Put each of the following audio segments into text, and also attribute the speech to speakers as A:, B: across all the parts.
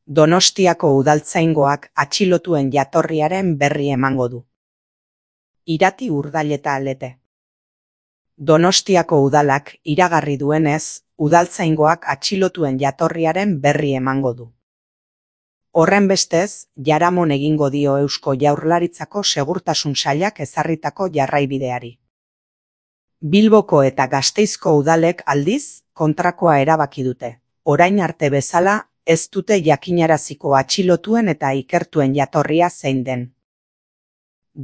A: Donostiako udaltzaingoak atxilotuen jatorriaren berri emango du. Irati Urdaileta Lete. Donostiako udalak iragarri duenez, udaltzaingoak atxilotuen jatorriaren berri emango du. Horrenbestez, jaramon egingo dio Eusko Jaurlaritzako Segurtasun Sailak ezarritako jarraibideari. Bilboko eta Gasteizko udalek aldiz kontrakoa erabaki dute. Orain arte bezala, ez dute jakinaraziko atxilotuen eta ikertuen jatorria zein den.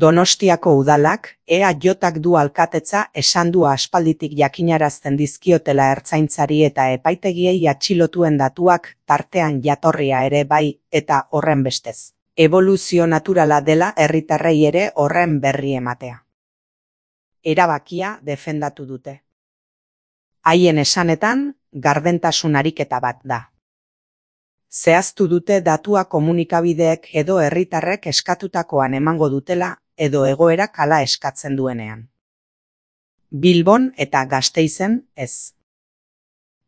A: Donostiako udalak, EAJak du alkatetza esan du aspalditik jakinarazten dizkiotela ertzaintzari eta epaitegiei atxilotuen datuak tartean jatorria ere bai, eta horrenbestez. Eboluzio naturala dela herritarrei ere horren berri ematea. Erabakia defendatu dute. Haien esanetan, gardentasun ariketa bat da. Zehaztu dute datua komunikabideek edo herritarrek eskatutakoan emango dutela, edo egoerak hala eskatzen duenean. Bilbon eta Gasteizen ez.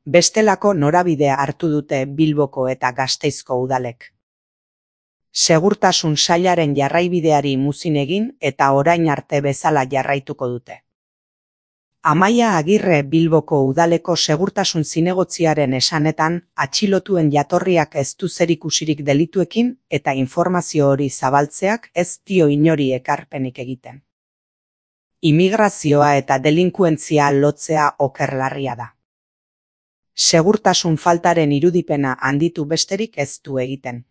A: Bestelako norabidea hartu dute Bilboko eta Gasteizko udalek. Segurtasun sailaren jarraibideari muzin egin eta orain arte bezala jarraituko dute. Amaia Agirre Bilboko udaleko segurtasun zinegotziaren esanetan, atxilotuen jatorriak ez du zerikusirik delituekin eta informazio hori zabaltzeak ez dio inori ekarpenik egiten. Immigrazioa eta delinkuentzia lotzea okerlarria da. Segurtasun faltaren irudipena handitu besterik ez du egiten.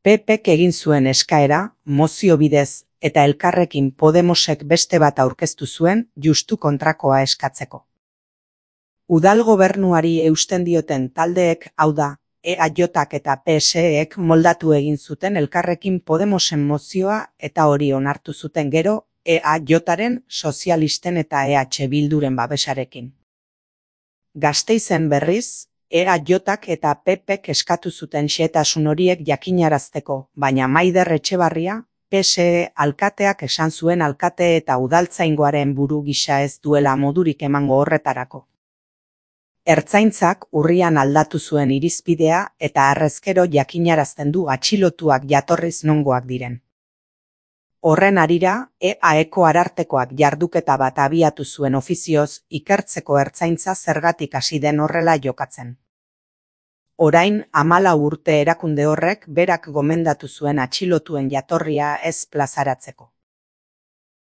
A: PPk egin zuen eskaera, mozio bidez, eta Elkarrekin Podemosek beste bat aurkeztu zuen justu kontrakoa eskatzeko. Udal gobernuari eusten dioten taldeek, hau da, EAJak eta PSEek moldatu egin zuten Elkarrekin Podemosen mozioa eta hori onartu zuten gero, EAJaren, sozialisten eta EH Bilduren babesarekin. Gasteizen berriz, EAJak eta PPk eskatu zuten xehetasun horiek jakinarazteko, baina Maider Etxebarria, PSE alkateak esan zuen alkate eta udaltzaingoaren buru gisa ez duela modurik emango horretarako. Ertzaintzak urrian aldatu zuen irizpidea eta harrezkero jakinarazten du atxilotuak jatorriz nongoak diren. Horren harira, EAEko arartekoak jarduketa bat abiatu zuen ofizioz ikertzeko ertzaintza zergatik hasi den horrela jokatzen. Orain, 14 urte erakunde horrek berak gomendatu zuen atxilotuen jatorria ez plazaratzeko.